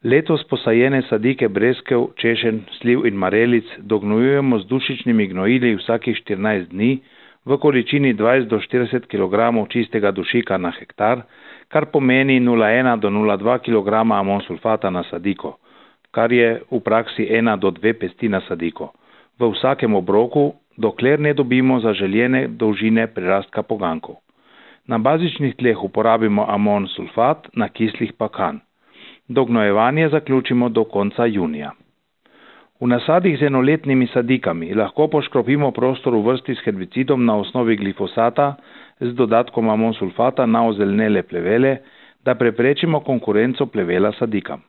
Letos posajene sadike breskev, češenj, sliv in marelic dognojujemo z dušičnimi gnojili vsakih 14 dni v količini 20 do 40 kg čistega dušika na hektar, kar pomeni 0,1 do 0,2 kg amonsulfata na sadiko, kar je v praksi 1 do 2 pesti na sadiko, v vsakem obroku, dokler ne dobimo zaželjene dolžine prirastka poganjkov. Na bazičnih tleh uporabimo amonsulfat, na kislih pa kan. Dognojevanje zaključimo do konca junija. V nasadih z enoletnimi sadikami lahko poškropimo prostor v vrsti s herbicidom na osnovi glifosata z dodatkom amonsulfata na ozelenele plevele, da preprečimo konkurenco plevela sadikam.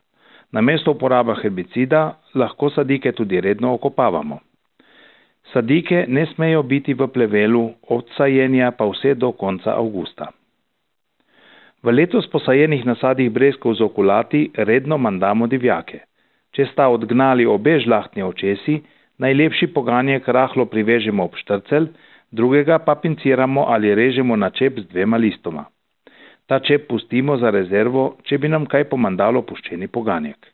Namesto uporaba herbicida lahko sadike tudi redno okopavamo. Sadike ne smejo biti v plevelu od sajenja pa vse do konca avgusta. V letos posajenih nasadih breskov z okulati redno mandamo divjake. Če sta odgnali obe žlahtni očesi, najlepši poganjek rahlo privežemo ob štrcelj, drugega pa pinciramo ali režemo na čep z 2 listoma. Ta čep pustimo za rezervo, če bi nam kaj pomandalo puščeni poganjek.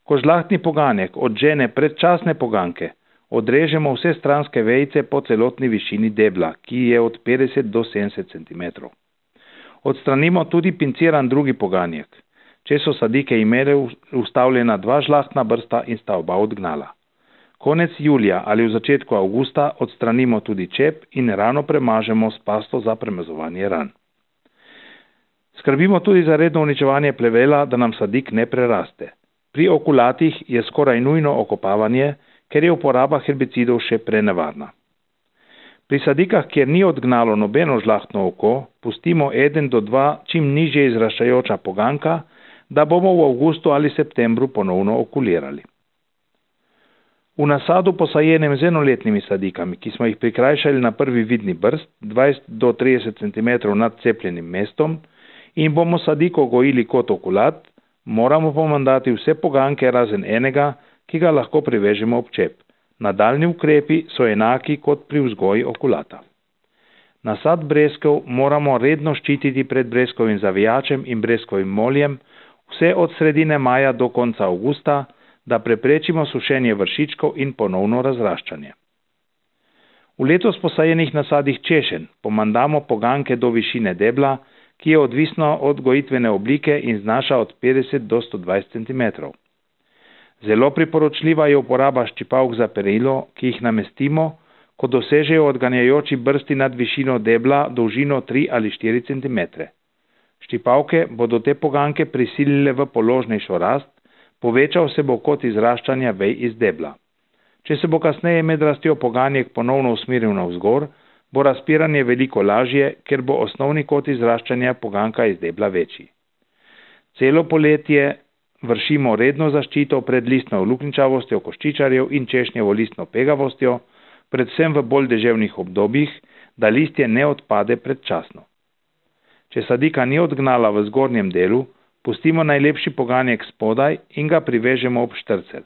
Ko žlahtni poganjek odžene predčasne poganjke, odrežemo vse stranske vejice po celotni višini debla, ki je od 50 do 70 cm. Odstranimo tudi pinciran drugi poganjek, če so sadike imele ustavljena 2 žlahtna brsta in sta oba odgnala. Konec julija ali v začetku avgusta odstranimo tudi čep in rano premažemo s pasto za premazovanje ran. Skrbimo tudi za redno uničevanje plevela, da nam sadik ne preraste. Pri okulatih je skoraj nujno okopavanje, ker je uporaba herbicidov še prenevarna. Pri sadikah, kjer ni odgnalo nobeno žlahtno oko, pustimo 1 do 2 čim nižje izraščajoča poganjka, da bomo v avgustu ali septembru ponovno okulirali. V nasadu posajenem z enoletnimi sadikami, ki smo jih prikrajšali na prvi vidni brst 20 do 30 cm nad cepljenim mestom in bomo sadiko gojili kot okulat, moramo pomandati vse poganjke razen enega, ki ga lahko privežemo ob čep. Nadaljni ukrepi so enaki kot pri vzgoji okulata. Nasad breskev moramo redno ščititi pred breskovim zavijačem in breskovim moljem vse od sredine maja do konca avgusta, da preprečimo sušenje vršičkov in ponovno razraščanje. V letos posajenih nasadih češenj pomandamo poganjke do višine debla, ki je odvisno od gojitvene oblike in znaša od 50 do 120 cm. Zelo priporočljiva je uporaba ščipavk za perilo, ki jih namestimo, ko dosežejo odganjajoči brsti nad višino debla dolžino 3 ali 4 cm. Ščipavke bodo te poganjke prisilile v položnejšo rast, povečal se bo kot izraščanja vej iz debla. Če se bo kasneje med rastjo poganjek ponovno usmeril navzgor, bo razpiranje veliko lažje, ker bo osnovni kot izraščanja poganjka iz debla večji. Celo poletje vršimo redno zaščito pred listno luknjičavostjo koščičarjev in češnjevo listno pegavostjo, predvsem v bolj deževnih obdobjih, da listje ne odpade predčasno. Če sadika ni odgnala v zgornjem delu, pustimo najlepši poganjek spodaj in ga privežemo ob štrcelj.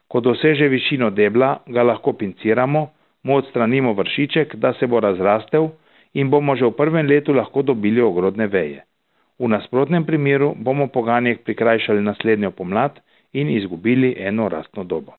Ko doseže višino debla, ga lahko pinciramo, mu odstranimo vršiček, da se bo razrastel in bomo že v prvem letu lahko dobili ogrodne veje. V nasprotnem primeru bomo poganjek prikrajšali naslednjo pomlad in izgubili eno rastno dobo.